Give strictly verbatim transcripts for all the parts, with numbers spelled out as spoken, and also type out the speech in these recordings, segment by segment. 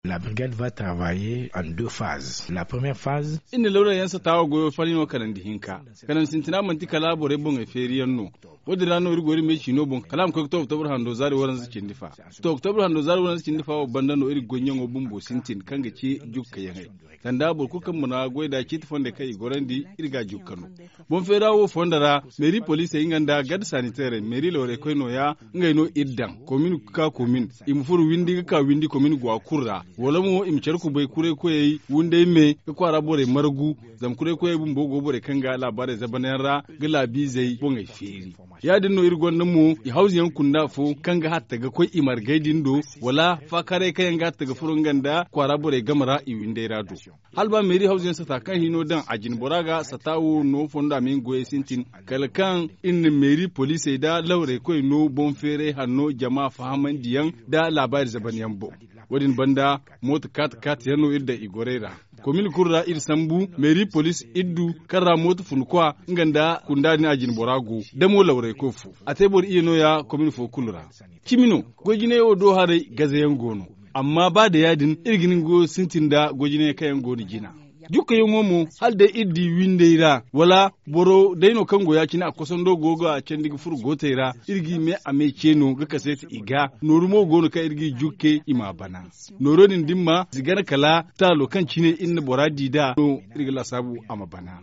La brigade va travailler en deux phases. La première phase. Iri na lawra yaŋ sata wo goyo fari no kanandi hinka. Kanandi sintina manti kala borey boŋey feeri yaŋ no. Wo- din ra no iri go iri me ciino boŋ kala a ma koy ga to oktobur hando zaari waranza cindi fa. To oktobur hando zaari waranza cindi fa wo banda no iri goy ɲaŋo bumbo sintin kaŋ ga ci jukka yaŋey. Sanda boro kulu kaŋ mana goy nd'a ciiti fondey kaŋ i gorandi, iri ga a jukka no. Boŋ feera wo fondo ra, meeri poliisey nga nda garde saniteerey meeri lawrey koy nooya. Ngey no iri daŋ komin ga ka komin. I ma furo windi ga ka windi komin go a kulu ra. Wala mo i ma care kubay kuray koyey wunday me ga kwaara borey margu. Zama kuray koyey bumbo go borey kaŋ ga laabaarey zabanyaŋ ra ga laabiizey boŋey feeri. Ya- din no iri gonda mo i hawzu yaŋ kunda fo kaŋ ga hatta ga koy i margey din do, wala faakaarey kaŋ yaŋ ga hatta ga furo nga nda kwaara borey game ra i winday ra do. Hala ba meeri hawzu yaŋ sata kaŋ hino daŋ a jine bora ga sata wo no fondo a ma hin goyey sintin. Kala kaŋ iri na meeri poliisey nda lawrey koy no boŋ feeray hanno jama fahamandiyaŋ nda laabaari zabanyaŋ boŋ. Wo- din banda mooto kaati kaati yaŋ no iri daŋ i gorey ra. Komin kulu ra iri sambu meeri poliis iri du kaŋ ra mooto fun kwa nga nda kunda din a jine bora go damo lawrey koy fo. A te boro iyye nooya komin fo kulu ra. Cimi no, goy jinay wo do haray gazayaŋ go no. Amma ba da ya- din iri ga ni goyo sintin nda goy jinay kaŋ yaŋ go no jina. Jukkayaŋo mo, hala day iri di windey ra wala boro day no kaŋ go ya- cine a kosando go ga candi ga furo gootey ra. Iri g'i me a me ce no ga kaseeti i ga. Nooru mo go no kaŋ iri g'i jukke i m'a bana. Nooro din da ni ma si gana kala taalo kaŋ cine iri na bora di nd'a no. Iri ga laasaabu a ma bana.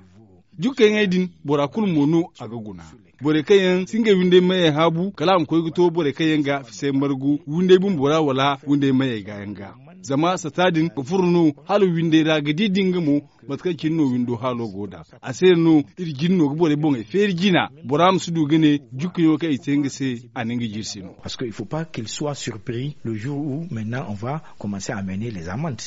Jukkayaŋey din bora kulu mo no a ga guna. Borey kaŋ yaŋ si ngey windey mayey haabu kala a ma koy ga to borey kaŋ yaŋ ga fisay margu windey bumbo ra wala windey mayey ga yaŋ ga. Zama sata din ga furo no hala windey ra ga di da nga mo. Mate kaŋ cine no windo haalo go nd'a a se no iri jine no ga borey boŋey feeri jina. Bora ma si du ga ne jukkayaŋo kaŋ i te nga se a na nga jirsi no. Parce que il faut pas qu'il soit surpris le jour où maintenant on va commencer à mener les amendes.